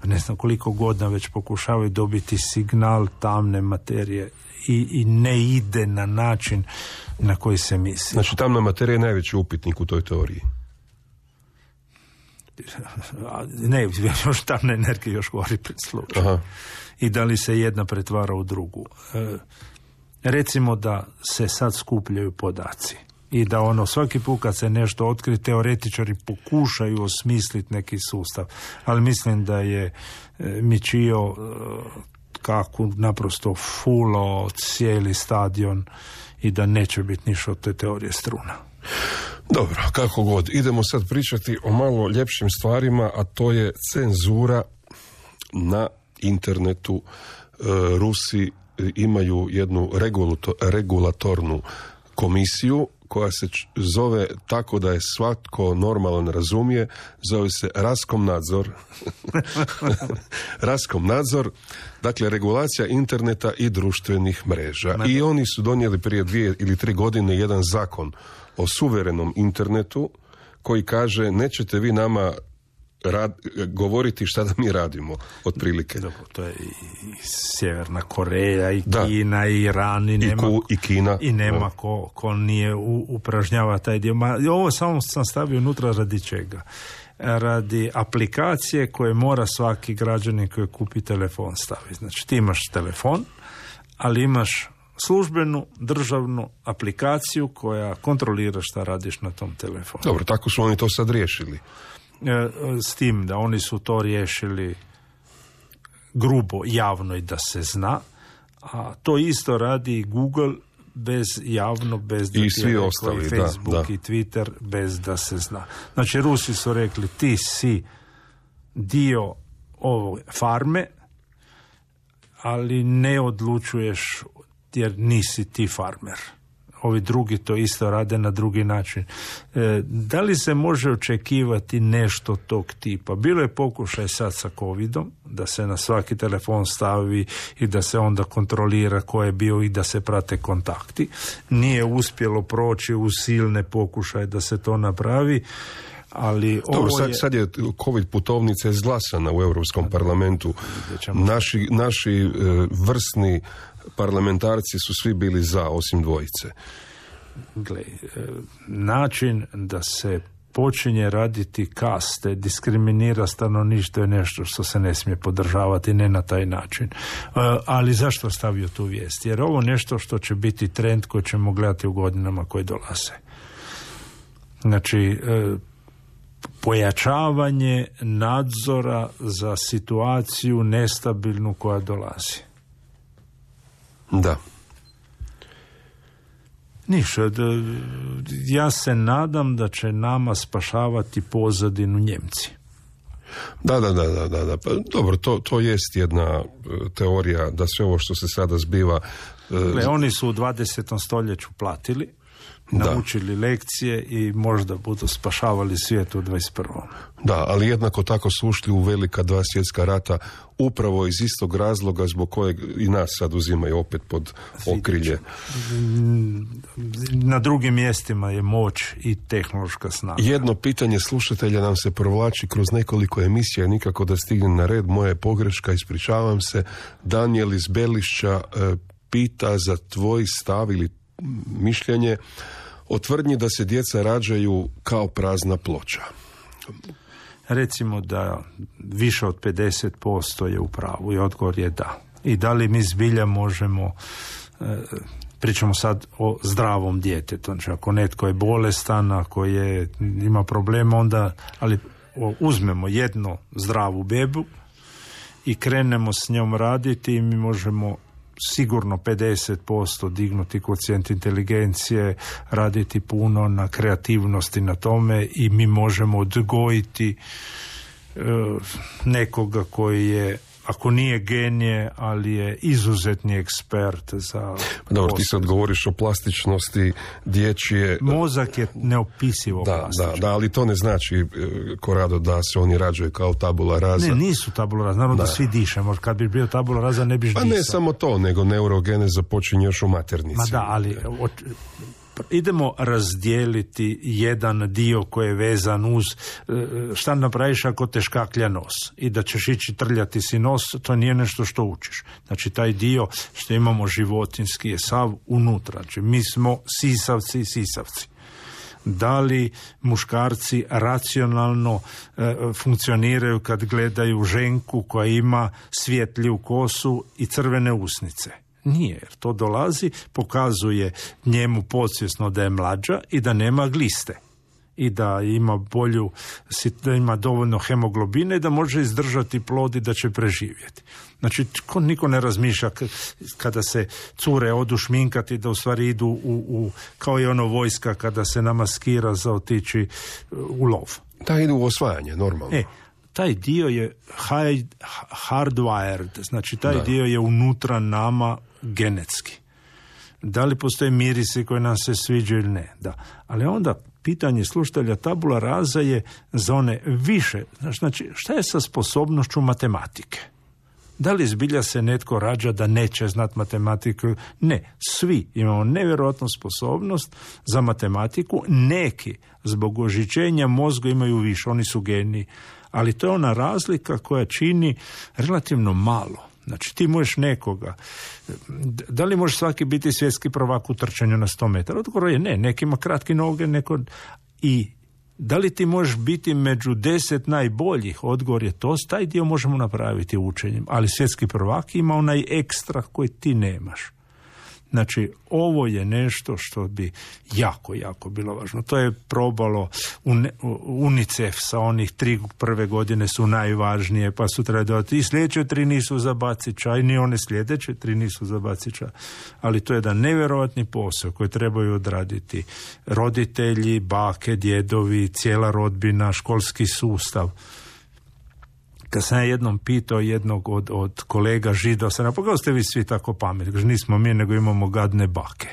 ne znam koliko godina već pokušavaju dobiti signal tamne materije i, i ne ide na način na koji se misli. Znači tamna materija je najveći upitnik u toj teoriji. Ne, još tamna energija još gori pred slučaj. I da li se jedna pretvara u drugu. E, recimo da se sad skupljaju podaci i da ono svaki put kad se nešto otkri, teoretičari pokušaju osmisliti neki sustav, ali mislim da je e, Michio e, kako naprosto fulo cijeli stadion i da neće biti ništa od te teorije struna. Dobro, kako god. Idemo sad pričati o malo ljepšim stvarima, a to je cenzura na internetu. E, Rusi imaju jednu regulato, regulatornu komisiju koja se zove tako da je svatko normalan razumije, zove se Raskomnadzor. Raskomnadzor, dakle regulacija interneta i društvenih mreža. I oni su donijeli prije dvije ili tri godine jedan zakon o suverenom internetu koji kaže nećete vi nama rad, govoriti šta da mi radimo, otprilike. Dobro, to je i Sjeverna Koreja, i Kina, da. I Iran, i nema, I, ku, i Kina. I nema ko, ko nije u, upražnjava taj dio. Ma, ovo samo sam stavio unutra radi čega? Radi aplikacije koje mora svaki građanin koji kupi telefon staviti. Znači ti imaš telefon, ali imaš službenu državnu aplikaciju koja kontrolira šta radiš na tom telefonu. Dobro, tako su oni to sad riješili. S tim da oni su to riješili grubo, javno i da se zna, a to isto radi Google bez javno, bez da i svi ostali, i Facebook da, da. I Twitter bez da se zna. Znači Rusi su rekli ti si dio ove farme, ali ne odlučuješ jer nisi ti farmer. Ovi drugi to isto rade na drugi način. E, da li se može očekivati nešto tog tipa? Bilo je pokušaj sad sa covidom, da se na svaki telefon stavi i da se onda kontrolira ko je bio i da se prate kontakti. Nije uspjelo proći u silne pokušaje da se to napravi. Ali Dobro, ovo sad, je... sad je COVID putovnica izglasana u Europskom parlamentu. Naši, naši e, vrsni parlamentarci su svi bili za, osim dvojice. Gle, način da se počinje raditi kaste, diskriminira stanovništvo je nešto što se ne smije podržavati, ne na taj način. Ali zašto stavio tu vijest? Jer ovo nešto što će biti trend koji ćemo gledati u godinama koje dolaze. Znači, pojačavanje nadzora za situaciju nestabilnu koja dolazi. Da. Ništa. Ja se nadam da će nama spašavati pozadinu Njemci. Da, da, da, da, da, da. Pa, dobro, to, to jest jedna teorija da sve ovo što se sada zbiva... Gle, oni su u dvadesetom stoljeću platili, naučili da. lekcije i možda budu spašavali svijet u dvadeset prvom. Da, ali jednako tako su ušli u velika dva svjetska rata upravo iz istog razloga zbog kojeg i nas sad uzimaju opet pod okrilje. Na drugim mjestima je moć i tehnološka snaga. Jedno pitanje slušatelja nam se provlači kroz nekoliko emisija, nikako da stigne na red. Moja je pogreška, ispričavam se. Daniel iz Belišća e, pita za tvoj stav ili mišljenje o tvrdnji da se djeca rađaju kao prazna ploča. Recimo da više od pedeset posto je u pravu i odgovor je da. I da li mi zbilja možemo, e, pričamo sad o zdravom djetetu, znači ako netko je bolestan, ako je, ima problema, onda, ali o, uzmemo jednu zdravu bebu i krenemo s njom raditi i mi možemo sigurno pedeset posto dignuti koeficijent inteligencije, raditi puno na kreativnosti na tome i mi možemo odgojiti e, nekoga koji je ako nije genije, ali je izuzetni ekspert za... Dobro, ti sad govoriš o plastičnosti dječje... Mozak je neopisivo da, plastičan. Da, da, ali to ne znači, Korado, da se oni rađaju kao tabula rasa. Ne, nisu tabula rasa, naravno da, da svi dišemo. Kad bi bio tabula rasa, ne biš pa disao. Ne samo to, nego neurogeneza počinje još u maternici. Ma da, ali... Od, idemo razdijeliti jedan dio koji je vezan uz šta napraviš ako te škaklja nos i da ćeš ići trljati si nos, to nije nešto što učiš. Znači taj dio što imamo životinski je sav unutra. Znači mi smo sisavci i sisavci. Da li muškarci racionalno e, funkcioniraju kad gledaju ženku koja ima svjetliju kosu i crvene usnice? Nije, jer to dolazi, pokazuje njemu podsvjesno da je mlađa i da nema gliste i da ima bolju, da ima dovoljno hemoglobine i da može izdržati plod i da će preživjeti. Znači, ko, niko ne razmišlja kada se cure odu šminkati da u stvari idu u, u, kao i ono vojska kada se namaskira za otići u lov. Da, idu u osvajanje, normalno. E, taj dio je hardwired, znači taj da. dio je unutra nama genetski. Da li postoje mirisi koji nam se sviđaju ili ne? Da. Ali onda pitanje slušatelja tabula rasa je za one više. Znači, šta je sa sposobnošću matematike? Da li zbilja se netko rađa da neće znati matematiku? Ne, svi imamo nevjerojatnu sposobnost za matematiku. Neki zbog ožičenja mozga imaju više, oni su geniji. Ali to je ona razlika koja čini relativno malo. Znači ti možeš nekoga, da li može svaki biti svjetski prvak u trčanju na sto metara? Odgovor je ne, neki ima kratke noge, neko... I da li ti možeš biti među deset najboljih? Odgovor je to, taj dio možemo napraviti učenjem, ali svjetski prvak ima onaj ekstra koji ti nemaš. Znači, ovo je nešto što bi jako, jako bilo važno. To je probalo UNICEF sa onih tri prve godine su najvažnije, pa su treba dodati i sljedeće tri nisu za bacića, i ni one sljedeće tri nisu za bacića. Ali to je jedan nevjerojatni posao koji trebaju odraditi roditelji, bake, djedovi, cijela rodbina, školski sustav. Kad sam ja jednom pitao jednog od, od kolega Žida, sam rekao, kako ste vi svi tako pametni? Kaže, nismo mi, nego imamo gadne bake.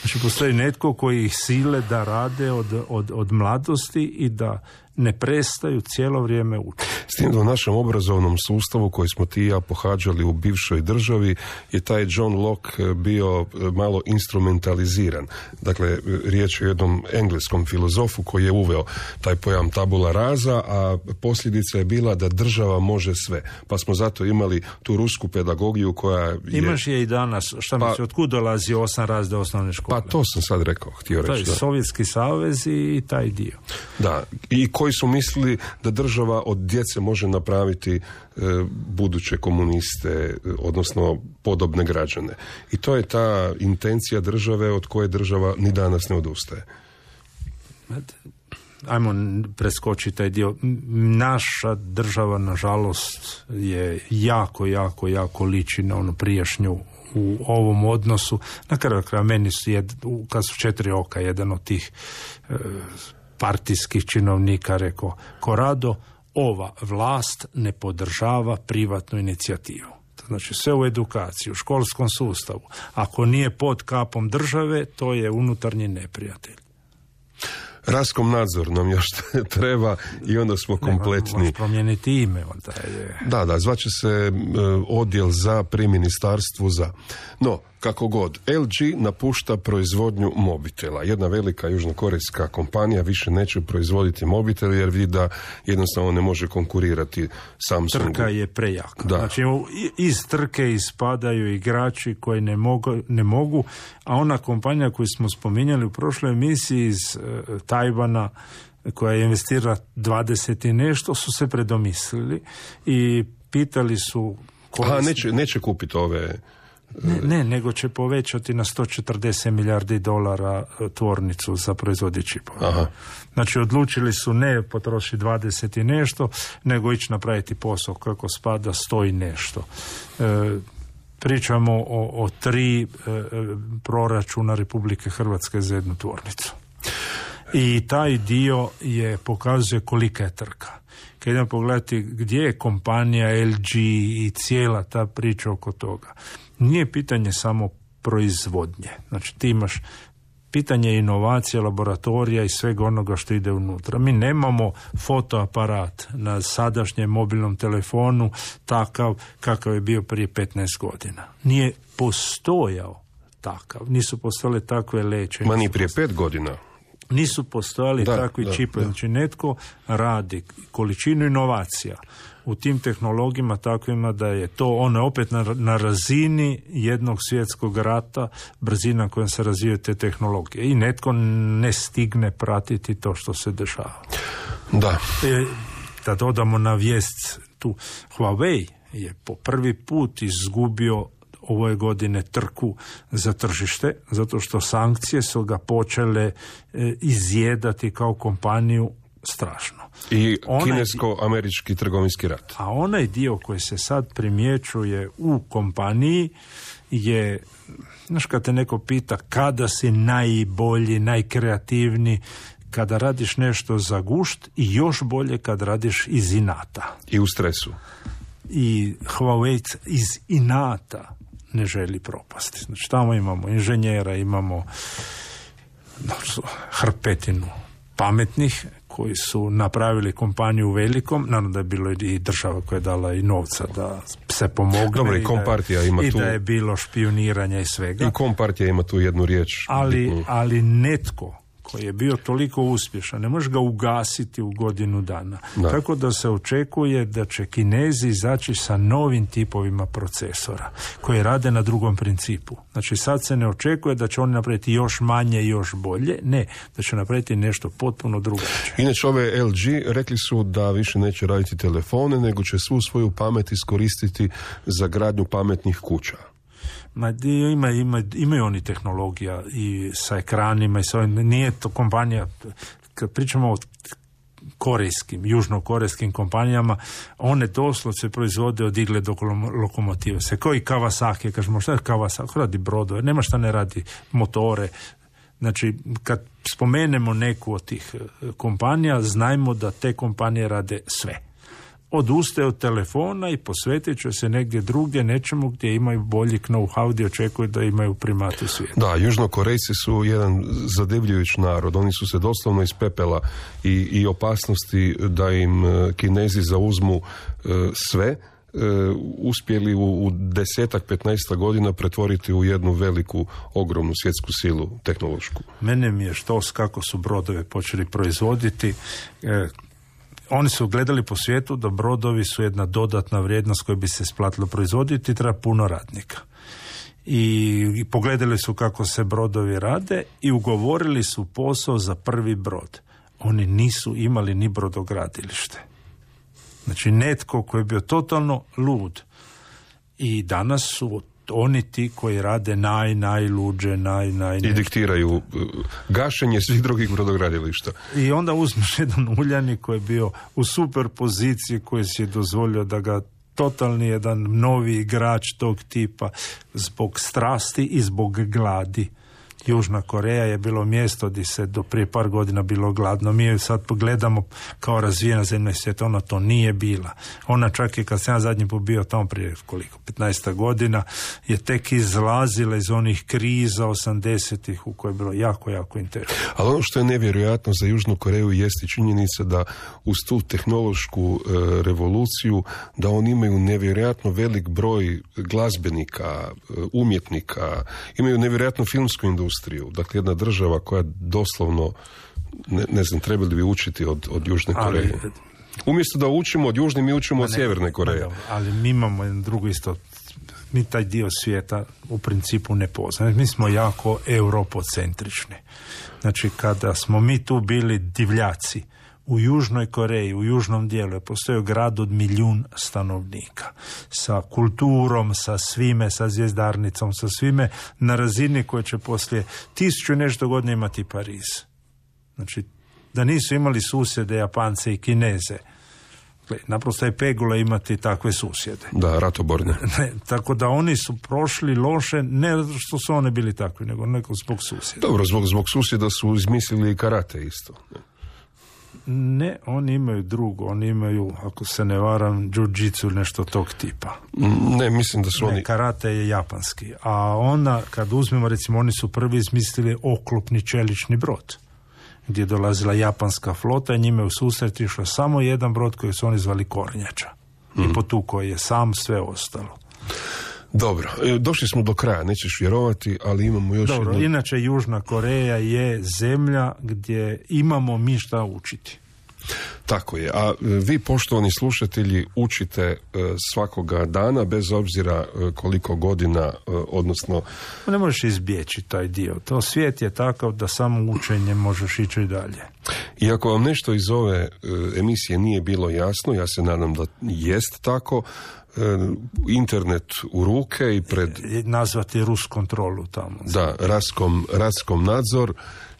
Znači, postoji netko koji ih sile da rade od, od, od mladosti i da ne prestaju cijelo vrijeme učiti. S tim da u našem obrazovnom sustavu koji smo ti i ja pohađali u bivšoj državi je taj John Locke bio malo instrumentaliziran. Dakle, riječ je o jednom engleskom filozofu koji je uveo taj pojam tabula rasa, a posljedica je bila da država može sve. Pa smo zato imali tu rusku pedagogiju koja je... Imaš je i danas. Šta pa, misli, otkud dolazi osam razreda osnovne škole? Pa to sam sad rekao, htio reći. To je da. Sovjetski savez i taj dio. Da, i koji su mislili da država od djece može napraviti e, buduće komuniste, odnosno podobne građane. I to je ta intencija države od koje država ni danas ne odustaje. Ajmo preskočiti taj dio. Naša država, nažalost, je jako, jako, jako liči na onu prijašnju u ovom odnosu. Na kraju kraja meni su, jed, kad su četiri oka, jedan od tih e, partijskih činovnika rekao, Korado, ova vlast ne podržava privatnu inicijativu. Znači sve u edukaciji, u školskom sustavu. Ako nije pod kapom države, to je unutarnji neprijatelj. Raskom nadzor nam još treba i onda smo kompletni. Možeš promijeniti ime. Onda je... Da, da, zvaće se uh, odjel za pri ministarstvu za. No, kako god, L G napušta proizvodnju mobitela. Jedna velika južnokorejska kompanija više neće proizvoditi mobitel jer vidi da jednostavno ne može konkurirati Samsungu. Trka je prejaka. Da. Znači, iz trke ispadaju igrači koji ne mogu, ne mogu, a ona kompanija koju smo spominjali u prošloj emisiji iz uh, Tajvana, koja je investirala dvadeset i nešto, su se predomislili i pitali su... Aha, neće, neće kupiti ove... Ne, ne, nego će povećati na sto četrdeset milijardi dolara tvornicu za proizvodnje čipova. Aha. Znači, odlučili su ne potrošiti dvadeset i nešto, nego ići napraviti posao kako spada sto i nešto. E, pričamo o, o tri e, proračuna Republike Hrvatske za jednu tvornicu. I taj dio je pokazuje kolika je trka. Kad idemo pogledati gdje je kompanija L G i cijela ta priča oko toga, nije pitanje samo proizvodnje. Znači ti imaš pitanje inovacije, laboratorija i svega onoga što ide unutra. Mi nemamo fotoaparat na sadašnjem mobilnom telefonu takav kakav je bio prije petnaest godina. Nije postojao takav. Nisu postojale takve leće. Ma ni prije pet godina. Nisu postojali da, takvi da, čipovi. da. Znači netko radi količinu inovacija u tim tehnologijama takvima da je to ono opet na, na razini jednog svjetskog rata, brzina kojom se razvijaju te tehnologije. I netko ne stigne pratiti to što se dešava. Da. E, da dodamo na vijest tu, Huawei je po prvi put izgubio ove godine trku za tržište, zato što sankcije su ga počele e, izjedati kao kompaniju strašno. I onaj, kinesko-američki trgovinski rat. A onaj dio koji se sad primjećuje u kompaniji je, znaš, kad te neko pita kada si najbolji, najkreativniji, kada radiš nešto za gušt i još bolje kad radiš iz inata. I u stresu. I Huawei iz inata ne želi propasti. Znači tamo imamo inženjera, imamo hrpetinu pametnih koji su napravili kompaniju velikom, naravno da je bilo i država koja je dala i novca da se pomogne. Dobro, i Kompartija ima i tu... I da je bilo špioniranja i svega. I Kompartija ima tu jednu riječ. Ali, ali netko koji je bio toliko uspješan, ne možeš ga ugasiti u godinu dana. Da. Tako da se očekuje da će Kinezi izaći sa novim tipovima procesora koji rade na drugom principu. Znači sad se ne očekuje da će oni napraviti još manje i još bolje, ne, da će napraviti nešto potpuno drugačije. Inače ove L G rekli su da više neće raditi telefone, nego će svu svoju pamet iskoristiti za gradnju pametnih kuća. Ma, ima, ima, imaju oni tehnologija i sa ekranima i sa ovim, nije to kompanija, kad pričamo o korejskim, južnokorejskim kompanijama, one doslovce proizvode od igle do lokomotive. Se kao i Kawasaki, kažemo šta je Kawasaki, radi brodove, nema šta ne radi motore. Znači, kad spomenemo neku od tih kompanija, znajmo da te kompanije rade sve. Odustaje od telefona i posvetit će se negdje drugdje, nečemu gdje imaju bolji know-how, gdje očekuju da imaju primat u svijetu. Da, Južnokorejci su jedan zadivljujući narod. Oni su se doslovno iz pepela i, i opasnosti da im Kinezi zauzmu uh, sve, uh, uspjeli u, u desetak, petnaestak godina pretvoriti u jednu veliku, ogromnu svjetsku silu tehnološku. Mene mi je štos kako su brodove počeli proizvoditi. E, Oni su gledali po svijetu da brodovi su jedna dodatna vrijednost koju bi se isplatilo proizvoditi i treba puno radnika. I, I pogledali su kako se brodovi rade i ugovorili su posao za prvi brod. Oni nisu imali ni brodogradilište. Znači netko koji je bio totalno lud. I danas su oni ti koji rade naj, najluđe, naj, naj... I diktiraju gašenje svih drugih brodogradilišta. I onda uzmeš jedan Uljanik koji je bio u super poziciji, koji si je dozvolio da ga totalni jedan novi igrač tog tipa zbog strasti i zbog gladi. Južna Koreja je bilo mjesto gdje se do prije par godina bilo gladno. Mi je sad pogledamo kao razvijena zemlja svijeta, ona to nije bila. Ona čak i kad sam ja zadnji put bio tamo prije koliko, petnaest godina, je tek izlazila iz onih kriza osamdesetih u kojoj je bilo jako, jako interesno. Ali ono što je nevjerojatno za Južnu Koreju jeste činjenica da uz tu tehnološku e, revoluciju, da oni imaju nevjerojatno velik broj glazbenika, e, umjetnika, imaju nevjerojatnu filmsku industriju. Dakle, jedna država koja doslovno, ne, ne znam, trebali bi učiti od, od Južne Koreje. Ali, umjesto da učimo od Južne, mi učimo od Sjeverne Koreje. Ali mi imamo jedan drugo isto, mi taj dio svijeta u principu ne poznamo. Mi smo jako europocentrični. Znači, kada smo mi tu bili divljaci, u Južnoj Koreji, u južnom dijelu je postojao grad od milijun stanovnika. Sa kulturom, sa svime, sa zvjezdarnicom, sa svime, na razini koje će poslije tisuću i nešto godina imati Pariz. Znači, da nisu imali susjede Japance i Kineze, naprosto je pegula imati takve susjede. Da, ratoborne. Ne, tako da oni su prošli loše, ne što su oni bili takvi, nego neko zbog susjeda. Dobro, zbog, zbog susjeda su izmislili i karate isto. Ne, oni imaju drugo, oni imaju, ako se ne varam, jiu-jitsu, nešto tog tipa. Ne, mislim da su ne, oni... karate je japanski. A onda, kad uzmemo, recimo, oni su prvi izmislili oklopni čelični brod, gdje je dolazila japanska flota i njime u susret išao samo jedan brod koji su oni zvali Kornjača. Mm. I potukao je sam sve ostalo. Dobro, došli smo do kraja, nećeš vjerovati, ali imamo još Dobro, jednu... inače Južna Koreja je zemlja gdje imamo mi šta učiti. Tako je, a vi, poštovani slušatelji, učite svakoga dana, bez obzira koliko godina, odnosno... Ne možeš izbjeći taj dio. To svijet je takav da samo učenjem možeš ići i dalje. I ako vam nešto iz ove emisije nije bilo jasno, ja se nadam da jest tako, internet u ruke i pred... Nazvati Rus kontrolu tamo. Da, Raskom, Raskom nadzor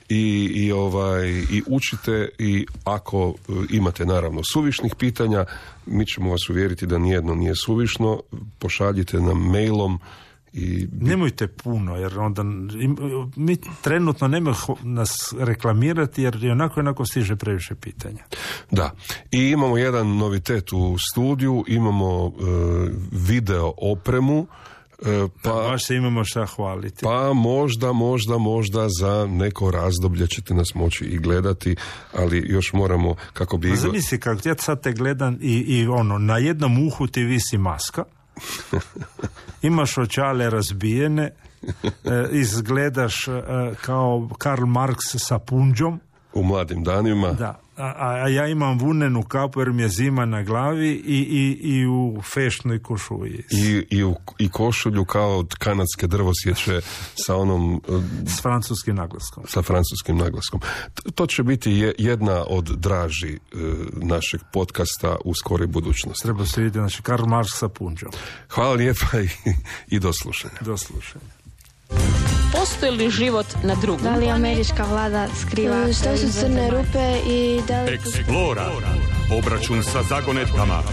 i, i, ovaj, i učite, i ako imate naravno suvišnih pitanja, mi ćemo vas uvjeriti da nijedno nije suvišno, pošaljite nam mailom. I... Nemojte puno, jer onda mi trenutno nemoj nas reklamirati, jer i onako onako stiže previše pitanja. Da, i imamo jedan novitet u studiju, imamo uh, video opremu, uh, pa, da, baš se imamo šta hvaliti. Pa možda, možda, možda za neko razdoblje ćete nas moći i gledati, ali još moramo, kako bi... Zamisli kako ja sad te gledam i, i ono, na jednom uhu ti visi maska, imaš očale razbijene, e, izgledaš e, kao Karl Marx sa punđom. U mladim danima. Da, a, a ja imam vunenu kapu jer mi je zima na glavi i, i, i u fešnoj košulji. I, i, u, i košulju kao od kanadske drvosječe sa onom... S francuskim naglaskom. Sa francuskim naglaskom. To će biti jedna od draži uh, našeg podcasta u skoroj budućnosti. Treba se vidjeti, znači Karl Marx sa punđom. Hvala lijepa i, i do slušanja. Do slušanja. Postoji li život na drugom? Da li američka vlada skriva? Što su crne rupe i da li... Eksplora. Obračun sa zagonetkama.